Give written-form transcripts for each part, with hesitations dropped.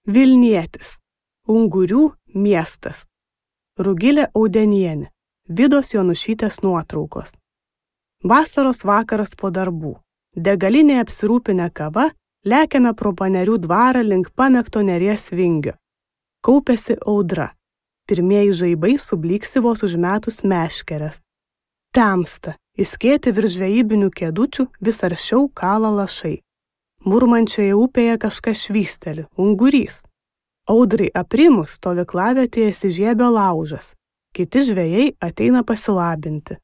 Vilnietis. Ungurių miestas. Rugilė Audenienė. Vidos Jonušytės nuotraukos. Vasaros vakaras po darbų. Degalinėje apsirūpinę kava, lekiame pro Panerių dvarą link pamėgto Neries vingio. Kaupėsi audra. Pirmieji žaibai subliksi vos užmetus meškeres. Temsta. Įskėti virš žvejybinių kėdučių vis aršiau kala lašai. Murmančioje upėje kažkas švysteli. Ungurys. Audrai aprimus stovyklavietėje įsižiebė laužas. Kiti žvejai ateina pasilabinti.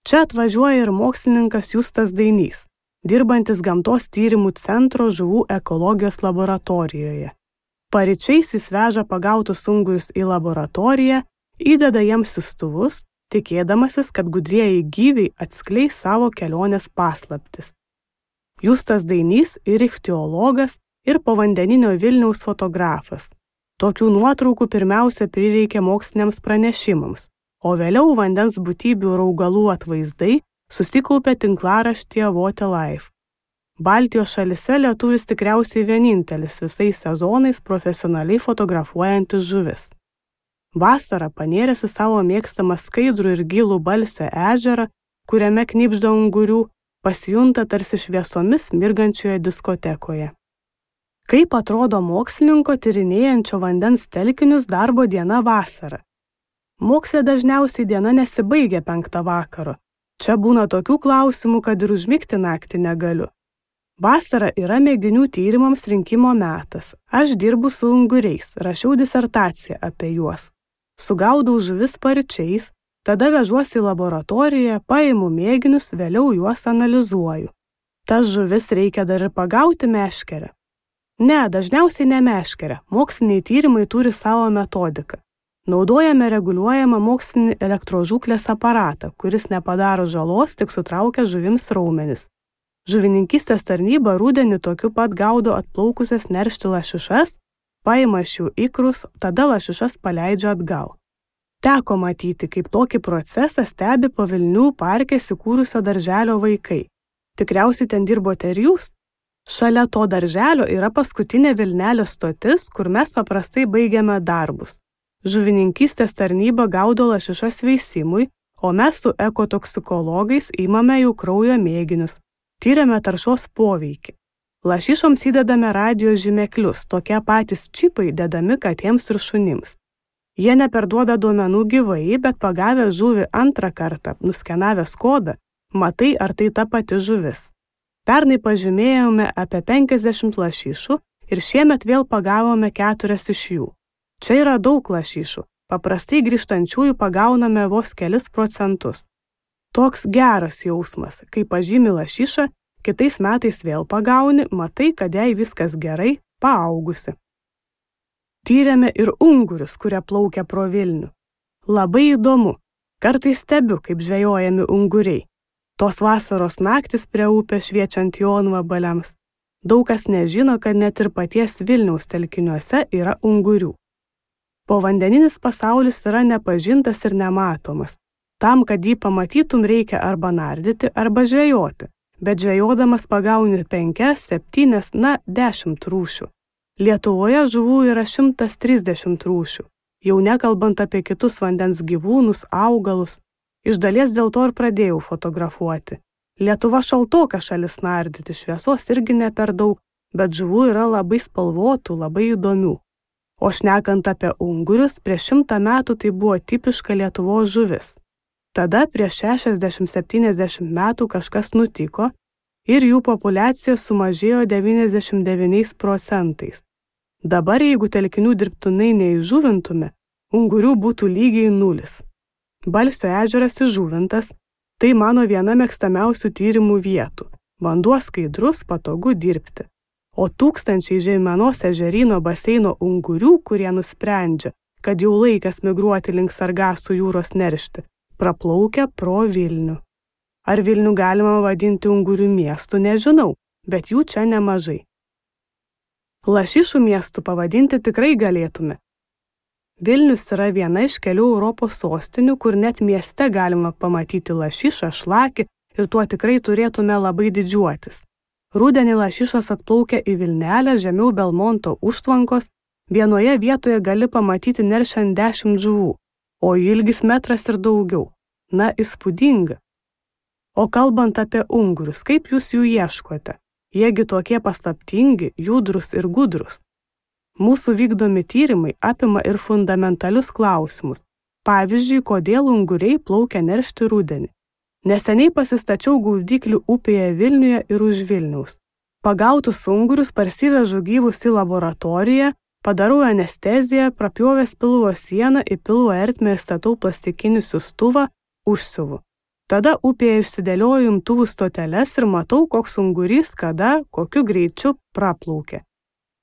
Čia atvažiuoja ir mokslininkas Justas Dainys, dirbantis Gamtos tyrimų centro žuvų ekologijos laboratorijoje. Paryčiais jis veža pagautus ungurius į laboratoriją, įdeda jiems siųstuvus, tikėdamasis, kad gudrieji gyviai atskleis savo kelionės paslaptis. Justas Dainys ir ichtiologas ir povandeninio Vilniaus fotografas. Tokių nuotraukų pirmiausia prireikė moksliniams pranešimams, o vėliau vandens būtybių ir augalų atvaizdai susikaupė tinklaraštyje Water Life. Baltijos šalyse lietuvis tikriausiai vienintelis visais sezonais profesionaliai fotografuojantis žuvis. Vasarą panėręs į savo mėgstamą skaidrų ir gilų Balsio ežerą, kuriame knibžda ungurių, pasijunta tarsi šviesomis mirgančioje diskotekoje. Kaip atrodo mokslininko tyrinėjančio vandens telkinius darbo diena vasarą? Moksle dažniausiai diena nesibaigia 5 vakaro. Čia būna tokių klausimų, kad ir užmigti naktį negaliu. Vasara yra mėginių tyrimams rinkimo metas. Aš dirbu su unguriais, rašiau disertaciją apie juos. Sugaudau žuvis paryčiais, tada vežuosi į laboratoriją, paimu mėginius, vėliau juos analizuoju. Tas žuvis reikia dar ir pagauti meškerę. Ne, dažniausiai ne meškerę. Moksliniai tyrimai turi savo metodiką. Naudojame reguliuojamą mokslinį elektrožūklės aparatą, kuris nepadaro žalos, tik sutraukia žuvims raumenis. Žuvininkystės tarnyba rudenį tokiu pat gaudo atplaukusias neršti lašišas, paima iš jų ikrus, tada lašišas paleidžia atgal. Teko matyti, kaip tokį procesą stebi Pavilnių parke įsikūrusio darželio vaikai. Tikriausiai ten dirbote ir jūs? Šalia to darželio yra paskutinė Vilnelio stotis, kur mes paprastai baigiame darbus. Žuvininkystės tarnyba gaudo lašišas veisimui, o mes su ekotoksikologais imame jų kraujo mėginius, tyrėme taršos poveikį. Lašišoms įdedame radio žymeklius, tokie patys čipai dedami katėms ir šunims. Jie neperduoda duomenų gyvai, bet pagavę žuvį antrą kartą, nuskenavęs kodą, matai, ar tai ta pati žuvis. Pernai pažymėjome apie 50 lašišų ir šiemet vėl pagavome 4 iš jų. Čia yra daug lašišų, paprastai grįžtančiųjų pagauname vos kelis procentus. Toks geras jausmas, kai pažymi lašišą, kitais metais vėl pagauni, matai, kad jai viskas gerai, paaugusi. Tyrėme ir ungurius, kurie plaukia pro Vilnių. Labai įdomu, kartais stebiu, kaip žvejojami unguriai. Tos vasaros naktis prie upės šviečiant jonvabaliams. Daug kas nežino, kad net ir paties Vilniaus telkiniuose yra ungurių. Povandeninis pasaulis yra nepažintas ir nematomas. Tam, kad jį pamatytum, reikia arba nardyti, arba žvejoti, bet žvejodamas pagauni 5, 7, 10 rūšių. Lietuvoje žuvų yra 130 rūšių, jau nekalbant apie kitus vandens gyvūnus, augalus. Iš dalies dėl to ir pradėjau fotografuoti. Lietuva šaltoka šalis nardyti, šviesos irgi ne per daug, bet žuvų yra labai spalvotų, labai įdomių. O šnekant apie ungurius, prieš 100 metų tai buvo tipiška Lietuvos žuvis. Tada prieš 60-70 metų kažkas nutiko ir jų populiacija sumažėjo 99%. Dabar, jeigu telkinių dirbtinai neįžuvintume, ungurių būtų lygiai 0. Balsio ežeras įžuvintas, tai mano viena mėgstamiausių tyrimų vietų. Vanduo skaidrus, patogu dirbti. O tūkstančiai Žeimenos ežeryno baseino ungurių, kurie nusprendžia, kad jau laikas migruoti link Sargasų jūros neršti, praplaukia pro Vilnių. Ar Vilnių galima vadinti ungurių miestu, nežinau, bet jų čia nemažai. Lašišų miestų pavadinti tikrai galėtume. Vilnius yra viena iš kelių Europos sostinių, kur net mieste galima pamatyti lašišą, šlakį ir tuo tikrai turėtume labai didžiuotis. Rudenį lašišos atplaukia į Vilnelę žemiau Belmonto užtvankos, Vienoje vietoje gali pamatyti neršiant 10 žuvų, o ilgis metras ir daugiau. Na, įspūdinga. O kalbant apie ungurius, kaip jūs jų ieškote? Jiegi tokie paslaptingi, judrus ir gudrus. Mūsų vykdomi tyrimai apima ir fundamentalius klausimus. Pavyzdžiui, kodėl unguriai plaukia neršti rudenį. Neseniai pasistačiau gaudyklių upėje Vilniuje ir už Vilniaus. Pagautus ungurius parsivežu gyvus į laboratoriją, padarau anesteziją, prapjovęs pilvo sieną, į pilvo ertmę statau plastikinį siųstuvą, užsiuvu. Tada upėje išsidėlioju imtuvų stoteles ir matau, koks ungurys kada, kokiu greičiu praplaukė.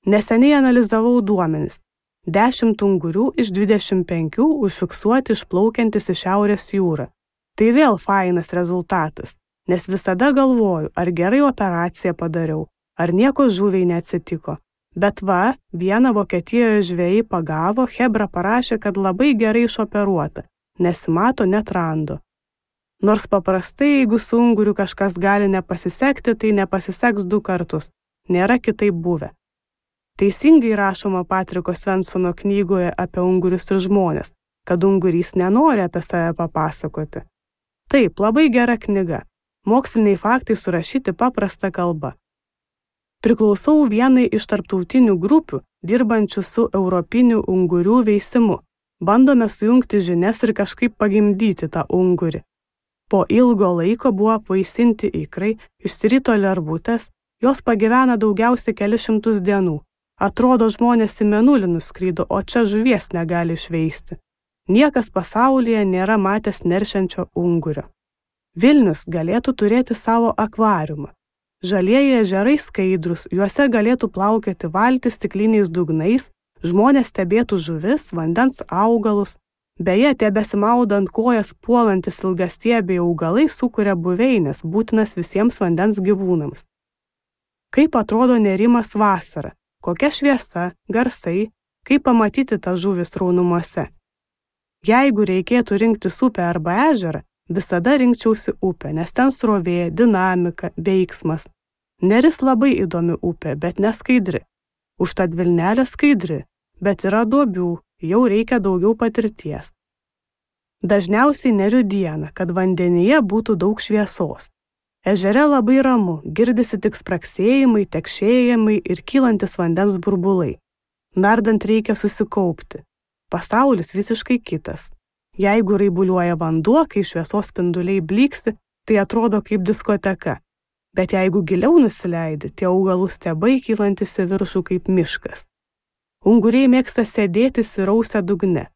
Neseniai analizavau duomenis. 10 ungurių iš 25 užfiksuoti išplaukiantis į Šiaurės jūrą. Tai vėl fainas rezultatas, nes visada galvoju, ar gerai operaciją padariau, ar nieko žuviai neatsitiko. Bet va, vieną Vokietijoje žvejai pagavo, chebra parašė, kad labai gerai išoperuota, nesimato net rando. Nors paprastai, jeigu su unguriu kažkas gali nepasisekti, tai nepasiseks 2 kartus, nėra kitaip buvę. Teisingai rašoma Patriko Svensono knygoje apie ungurius ir žmones, kad ungurys nenori apie save papasakoti. Taip, labai gera knyga. Moksliniai faktai surašyti paprasta kalba. Priklausau vienai iš tarptautinių grupių, dirbančių su europiniu ungurių veisimu. Bandome sujungti žinias ir kažkaip pagimdyti tą ungurį. Po ilgo laiko buvo apvaisinti ikrai, išsirito lervutės, jos pagyvena daugiausiai kelius šimtus dienų. Atrodo, žmonės į Mėnulį nuskrydo, o čia žuvies negali išveisti. Niekas pasaulyje nėra matęs neršiančio ungurio. Vilnius galėtų turėti savo akvariumą. Žalieji ežerai skaidrus, juose galėtų plaukioti valtis stikliniais dugnais, žmonės stebėtų žuvis, vandens augalus. Beje, tebesimaudant kojas puolantis ilgastiebiai augalai sukuria buveinės, būtinas visiems vandens gyvūnams. Kaip atrodo nerimas vasarą? Kokia šviesa, garsai, kaip pamatyti tą žuvis raunumuose? Jeigu reikėtų rinktis upę arba ežerą, visada rinkčiausi upę, nes ten srovė, dinamika, veiksmas. Neris labai įdomi upė, bet neskaidri. Užtat Vilnelė skaidri, bet yra duobių, jau reikia daugiau patirties. Dažniausiai neriu dieną, kad vandenyje būtų daug šviesos. Ežere labai ramu, girdisi tik spraksėjimai, tekšėjimai ir kylantis vandens burbulai. Nardant reikia susikaupti. Pasaulis visiškai kitas. Jeigu raibuliuoja vanduo, kai šviesos spinduliai blyksti, tai atrodo kaip diskoteka. Bet jeigu giliau nusileidi, tie augalų stiebai kylantis į viršų kaip miškas. Unguriai mėgsta sėdėti įsirausę dugne.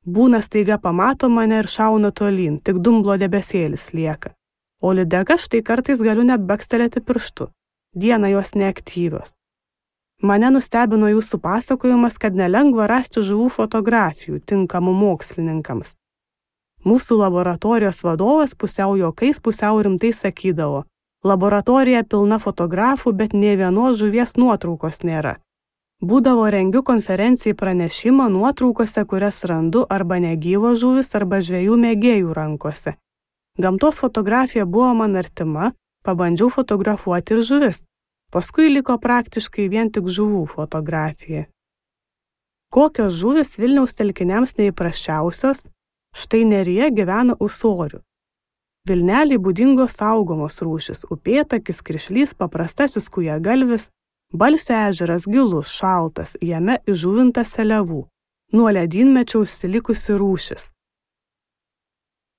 Būna staiga pamato mane ir šauna tolyn, tik dumblo debesėlis lieka. O lydeka štai kartais galiu net bakstelėti pirštu. Dieną jos neaktyvios. Mane nustebino jūsų pasakojimas, kad nelengva rasti žuvų fotografijų tinkamų mokslininkams. Mūsų laboratorijos vadovas pusiau juokais, pusiau rimtai sakydavo, laboratorija pilna fotografų, bet nė vienos žuvies nuotraukos nėra. Būdavo rengiu konferencijai pranešimą nuotraukose, kurias randu arba negyvos žuvis, arba žvejų mėgėjų rankose. Gamtos fotografija buvo man artima, pabandžiau fotografuoti ir žuvis. Paskui liko praktiškai vien tik žuvų fotografija. Kokios žuvis Vilniaus telkiniams neįprasčiausios? Štai Neryje gyvena ūsorių. Vilnelei būdingos saugomos rūšis, upėtakis, krišlys, paprastasis kūjagalvis, Balsio ežeras gilus, šaltas, jame įžuvinta seliavų, nuo ledynmečio užsilikusi rūšis.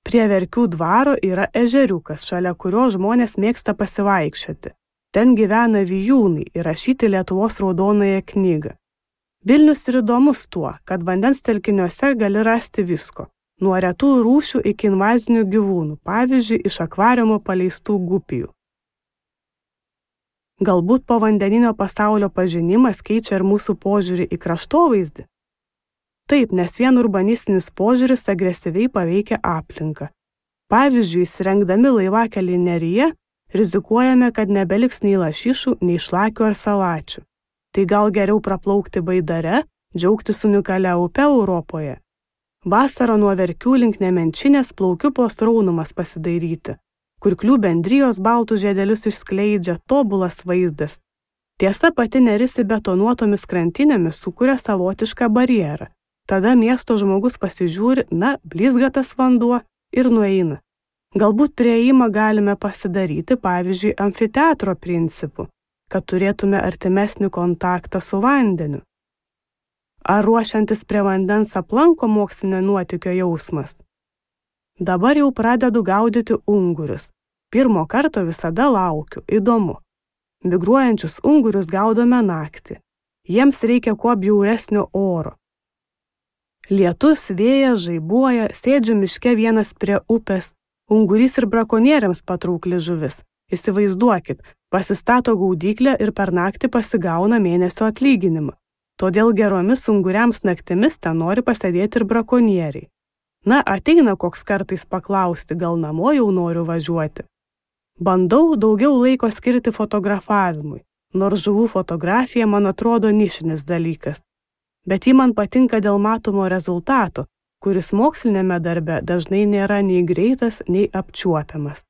Prie Verkių dvaro yra ežeriukas, šalia kurio žmonės mėgsta pasivaikščioti. Ten gyvena vijūnai įrašyti Lietuvos raudonąją knygą. Vilnius ir įdomus tuo, kad vandens telkiniuose gali rasti visko, nuo retų rūšių iki invazinių gyvūnų, pavyzdžiui, iš akvariumo paleistų gupijų. Galbūt povandeninio pasaulio pažinimas keičia ir mūsų požiūrį į kraštovaizdį? Taip, nes vien urbanistinis požiūris agresyviai paveikia aplinką. Pavyzdžiui, įsirengdami laivakelį Neryje, rizikuojame, kad nebeliks nei lašišų, nei šlakių ar salačių. Tai gal geriau praplaukti Baidare, džiaugtis unikalia upe Europoje. Vasarą nuo Verkių link Nemenčinės plaukiu po Straunumas pasidairyti. Kurklių bendrijos baltų žiedelius išskleidžia tobulas vaizdas. Tiesa, pati neris betonuotomis krantinėmis sukuria savotišką barjerą. Tada miesto žmogus pasižiūri, blizga tas vanduo ir nueina. Galbūt prieėjimą galime pasidaryti, pavyzdžiui, amfiteatro principu, kad turėtume artimesnį kontaktą su vandeniu. Ar ruošiantis prie vandens aplanko mokslinio nuotykio jausmas? Dabar jau pradedu gaudyti ungurius. Pirmo karto visada laukiu, įdomu. Migruojančius ungurius gaudome naktį. Jiems reikia kuo bjauresnio oro. Lietus, vėjas, žaibuoja, sėdžiu miške vienas prie upės. Ungurys ir brakonieriams patraukli žuvis. Įsivaizduokit, pasistato gaudyklę ir per naktį pasigauna mėnesio atlyginimą. Todėl geromis unguriams naktimis ten nori pasėdėti ir brakonieriai. Ateina koks kartais paklausti, gal namo jau noriu važiuoti. Bandau daugiau laiko skirti fotografavimui, nors žuvų fotografija man atrodo nišinis dalykas. Bet ji man patinka dėl matomo rezultato, kuris mokslinėme darbe dažnai nėra nei greitas, nei apčiuopiamas.